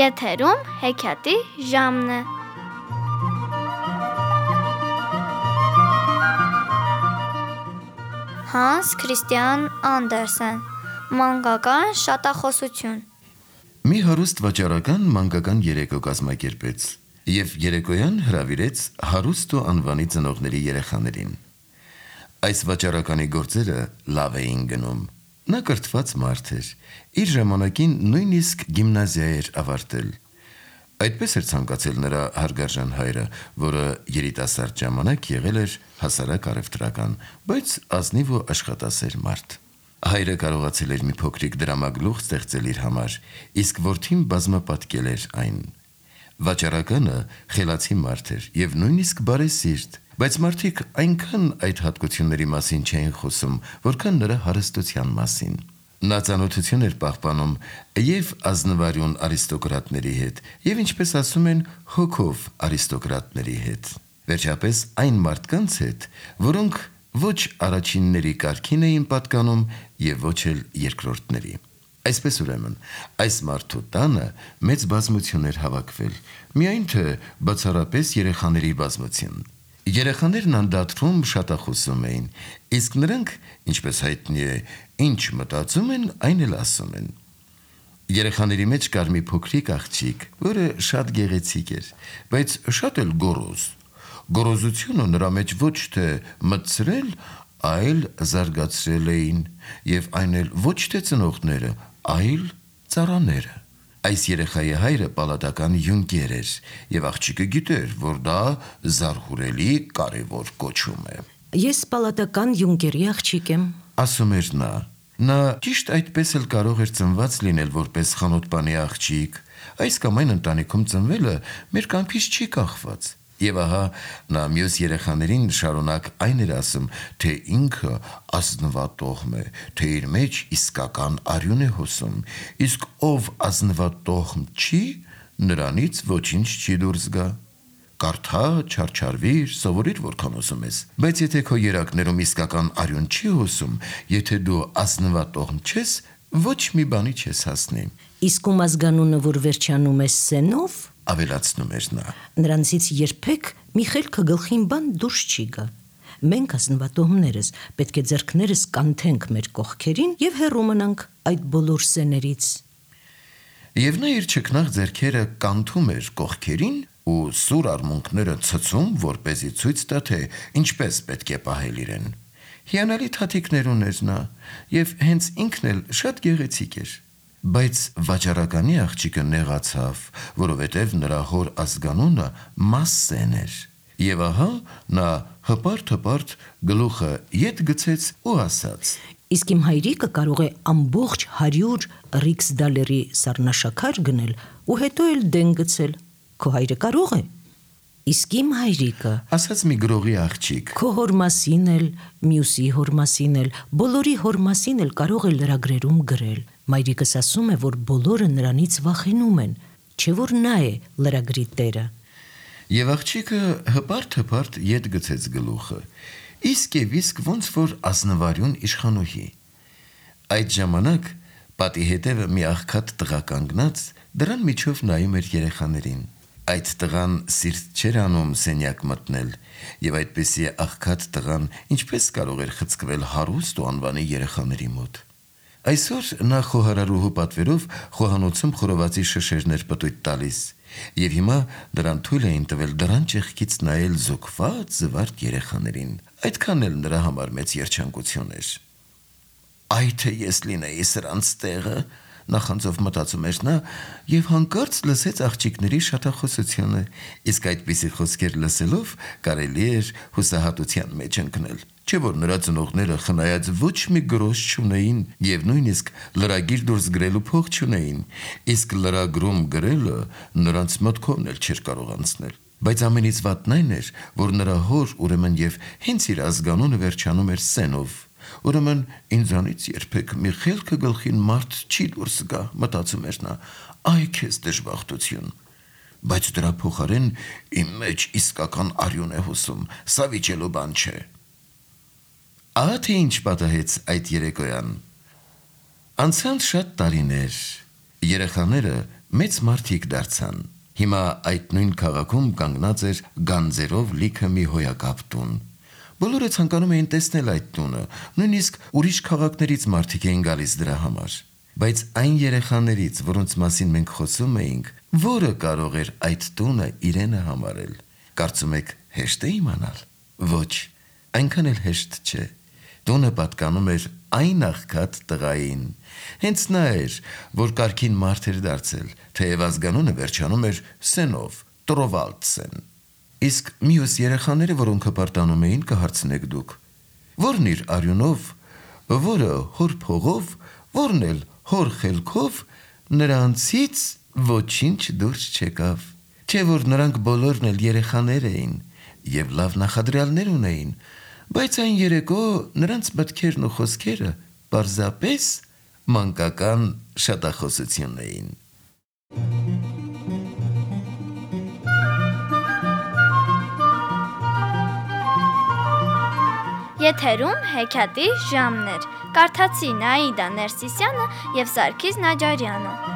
Եթերում հեքիաթի ժամն է։ Հանս Քրիստիան Անդերսեն, մանկական շատախոսություն։ Մի հարուստ վաճառական մանկական երեկո կազմակերպեց և երեկոյան հրավիրեց հարուստո անվանի ծնողների երեխաներին։ Այս վաճառականի գործերը լավ էին գնում։ Նա կրթված մարդ էր, իր ժամանակին նույնիսկ գիմնազիա էր ավարտել։ Այդպես էր ցանկացել նրա հարգարժան հայրը, որը երիտասարդ ժամանակ եղել էր հասարակ առևտրական, բայց ազնիվ ու աշխատասեր մարդ։ Հայրը կարողացել էր մի փոքրիկ դրամագլուխ ստեղծել իր համար, իսկ որդին բազմապատկել էր այն։ Վաճառականը խելացի մարդ էր և նույնիսկ բարեսիրտ, բայց մարդիկ այնքան այդ հատկությունների մասին չէին խոսում, որքան նրա հարստության մասին։ Նա ծանոթություն էր պահպանում և ազնվարյուն արիստոկրատների հետ, և ինչպես ասում են, հոգով արիստոկրատների հետ։ Վերջապես այն մարդկանց հետ, որոնք ոչ առաջինների կարգին էին պատկանում և ոչ էլ երկրորդների։ Այսպես ուրեմն, այս մարդու տանը մեծ բազմություն էր հավաքվել, միայն թե բացառապես երեխաների բազմություն։ Երեխաներն անդադրում շատախոսում էին, իսկ նրանք, ինչպես հայտնի է, ինչ մտածում են, այն էլ ասում են։ Երեխաների մեջ կար մի փոքրիկ աղջիկ, որը շատ գեղեցիկ էր, բայց շատ էլ գոռոզ։ Գոռոզությունը նրա մեջ ոչ թե մտցրել, այլ զարգացրել էին, և այն էլ ոչ թե ծնողները, այլ ծառաները։ Այս երեխայի հայրը պալատական յունկեր էր, և աղջիկը գիտեր, որ դա զարհուրելի կարևոր կոչում է։ Ես պալատական յունկերի աղջիկ եմ, ասում էր նա։ Նա ճիշտ այդպես էլ կարող էր ծնված լինել որպես խանութպանի աղջիկ, այս կամ այն ընտանիքում ծնվելը մեր կամքից չի կախված։ Եվ ահա նա մյուս երեխաներին շարունակ այն էր ասում, թե ինքը ազնվատոհմ է, թե իր մեջ իսկական արյուն է հոսում, իսկ ով ազնվատոհմ չի, նրանից ոչինչ չի դուրս գա։ Կարդա, չարչարվիր, սովորիր որքան ուզում ես, բայց եթե քո երակներում իսկական արյուն չի հոսում, եթե դու ազնվատոհմ չես, ոչ մի բանի չես հասնի։ Իսկ ում ազգանունը, որ վերջանում է սենով, ավելացնում էր նա, նրանցից երբեք մի խելքը գլխին բան դուրս չի գա։ Մենք ազնվատոհմներս պետք է ձեռքներս կանթենք մեր կողքերին և հեռու մնանք այդ բոլոր սեներից։ Եվ նա իր չքնաղ ձեռքերը կանթում էր կողքերին ու սուր արմունկները ցցում, որպեսզի ցույց տա, թե ինչպես պետք է պահել իրեն։ Հիանալի թաթիկներ ուներ նա, և հենց ինքն էլ շատ գեղեցիկ էր։ Բայց վաճառականի աղջիկը նեղացավ, որովհետև նրա հոր ազգանունը Մասսեն էր։ Եվ ահա նա հպարտ գլուխը ետ գցեց ու ասաց. Իսկ իմ հայրիկը կարող է ամբողջ 100 ռիքսդալերի սառնաշաքար գնել ու հետո էլ դեն գցել, քո հայրը կարող է։ Իսկ իմ հայրիկը, ասաց մի գրողի աղջիկ, քո հոր մասին էլ, մյուսի հոր մասին էլ, բոլորի հոր մասին էլ կարող է լրագրերում գրել։ Մայրիկս ասում է, որ բոլորը նրանից վախենում են, չէ որ նա է լրագրի տերը։ Եվ աղջիկը հպարտ ետ գցեց գլուխը, իսկ ոնց որ ազնվարյուն իշխանուհի։ Այդ ժամանակ պատի հետևը մի աղքատ տղա կանգնած, դրան միջով նայում էր երեխաներին։ Այդ տղան սիրտ չէր անում սենյակ մտնել, և այդպիսի աղքատ տղան ինչպես կարող էր խցկվել հարուստ ու անվանի երեխաների մոտ։ Այսօր նա խոհարարուհու պատվերով խոհանոցում խորովածի շշերներ պտույտ տալիս, և հիմա նրան թույլ էին տվել դռան ճեղքից նայել զուգված զվարթ երեխաներին։ Այդքան էլ նրա համար մեծ երջանկություն էր։ Այ թե ես լինեի սրանց տեղը, նախանձով մտածում էր նա, և հանկարծ լսեց աղջիկների շատախոսությունը, իսկ այդպիսի խոսքեր լսելով կարելի էր հուսահատության մեջ ընկնել, չէ որ նրա ծնողները խնայած ոչ մի գրոշ չունեին և նույնիսկ լրագիր դուրս գրելու փող չունեին, իսկ լրագրում գրելը նրանց մտքովն էլ չէր կարող անցնել։ Բայց ամենից վատն այն էր, որ նրա հոր ուրեմն և հենց իր ազգանունը վերջանում էր սենով, ուրեմն ինձանից երբեք մի խելքը գլխին մարդ չի դուրս գա, մտածում էր նա, այ քեզ դժբախտություն։ Բայց դրա փոխարեն իմ մեջ իսկական արյուն է հոսում, սա վիճելու բան չէ։ Ահա թե ինչ պատահեց այդ երեկոյան։ Անցան շատ տարիներ, երեխաները մեծ մարդիկ դարձան։ Հիմա այդ նույն քաղաքում կանգնած էր գանձերով լիքը մի հոյակապ տուն։ Բոլորը ցանկանում էին տեսնել այդ տունը, նույնիսկ ուրիշ քաղաքներից մարդիկ էին գալիս դրա համար։ Բայց այն երեխաներից, որոնց մասին մենք խոսում էինք, որը կարող էր այդ տունը իրենը համարել։ Կարծում եք հեշտ է իմանալ։ Ոչ, այնքան էլ հեշտ չէ։ Տունը պատկանում էր այն աղքատ տղային։ Հենց նա էր, որ կարգին մարդ էր դարձել, թեև ազգանունը վերջանում էր Սենով, Տրովալդսեն։ Իսկ մյուս երեխաները, որոնք հպարտանում էին, կհարցնեք դուք. Որն իր արյունով, որը հոր փողով, որն էլ հոր խելքով, նրանցից ոչինչ դուրս չեկավ։ Չէ որ նրանք բոլորն էլ երեխաներ էին եւ լավ նախադրյալներ ունեին, բայց այն երեկո նրանց մտքերն ու խոսքերը պարզապես մանկական շատախոսություն էին։ Եթերում հեքիաթի ժամն էր։ Կարդացի Նաիդա Ներսիսյանը եւ Սարգիս Նաջարյանը։